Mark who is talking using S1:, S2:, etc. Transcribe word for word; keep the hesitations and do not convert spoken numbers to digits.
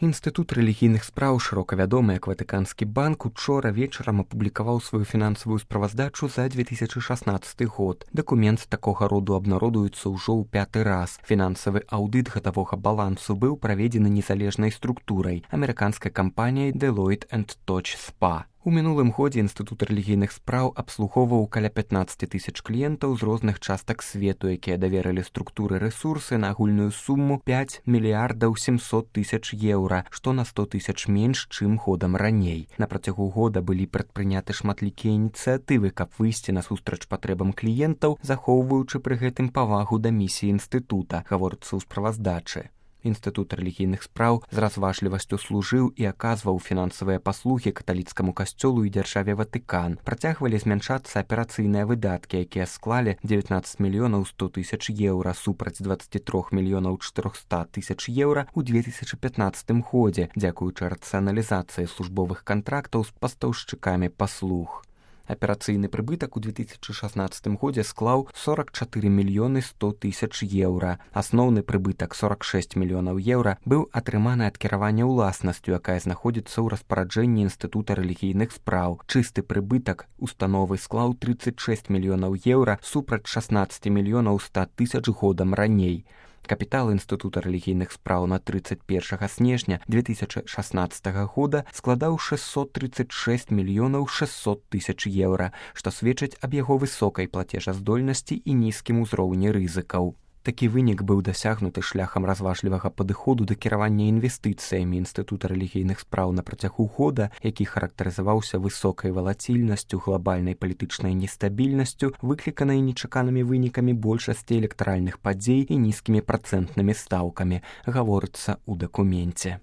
S1: Інстытут рэлігійных спраў, шырока вядомы як Ватыканскі банк, учора вечарам апублікаваў сваю фінансавую справаздачу за две тысячы шаснаццаты год. Дакумент такога роду абнародуецца ўжо ў пяты раз. Фінансавы аўдыт гадавога балансу быў праведзены незалежнай структурай амерыканскай кампаніяй Deloitte энд Touch спа. У мінулым годзе Інстытут рэлігійных спраў абслугоўваў каля пятнаццаць тысяч кліентаў з розных частак свету, якія даверылі структуры рэсурсы на агульную суму пяць мільярдаў сямсот тысяч еўра, што на сто тысяч менш, чым годам раней. На працягу года былі прадпрыняты шматлікія ініцыятывы, каб выйсці насустрач патрэбам кліентаў, захоўваючы пры гэтым павагу да місіі інстытута, гаворыцца ў справаздачы. Інстытут рэлігійных спраў з разважлівасцю служыў і аказваў фінансавыя паслугі каталіцкаму касцёлу і дзяржаве Ватыкан. Працягвалі змяншацца аперацыйныя выдаткі, якія склалі дзевятнаццаць мільёнаў сто тысяч еўра супраць дваццаць тры мільёнаў чатырохсот тысяч еўра ў две тысячы пятнаццатым годзе, дзякуючы рацыяналізацыі службовых кантрактаў з пастаўшчыкамі паслуг. Аперацыйны прыбытак у две тысячы шаснаццатым годзе склаў сорок чатыры мільёны сто тысяч еўра. Асноўны прыбытак сорок шэсць мільёнаў еўра быў атрыманы ад кіравання ўласнасцю, якая знаходзіцца ў распараджэнні Інстытута рэлігійных спраў. Чысты прыбытак установы склаў трыццаць шэсць мільёнаў еўра супраць шаснаццаць мільёнаў сто тысяч годам раней. Капітал Інстытута рэлігійных спраў на трыццаць першага снежня две тысячы шаснаццатага года складаў шэсцьсот трыццаць шэсць мільёнаў шэсцьсот тысяч еўра, што сведчыць аб яго высокай плацежаздольнасці і нізкім узроўні рызыкаў. Такі вынік быў дасягнуты шляхам разважлівага падыходу да кіравання інвестыцыямі Інстытута рэлігійных спраў на працягу года, які характарызаваўся высокай валацільнасцю, глабальнай палітычнай нестабільнасцю, выкліканай нечаканымі вынікамі большасці электаральных падзей і нізкімі працэнтнымі стаўкамі, гаворыцца ў дакуменце.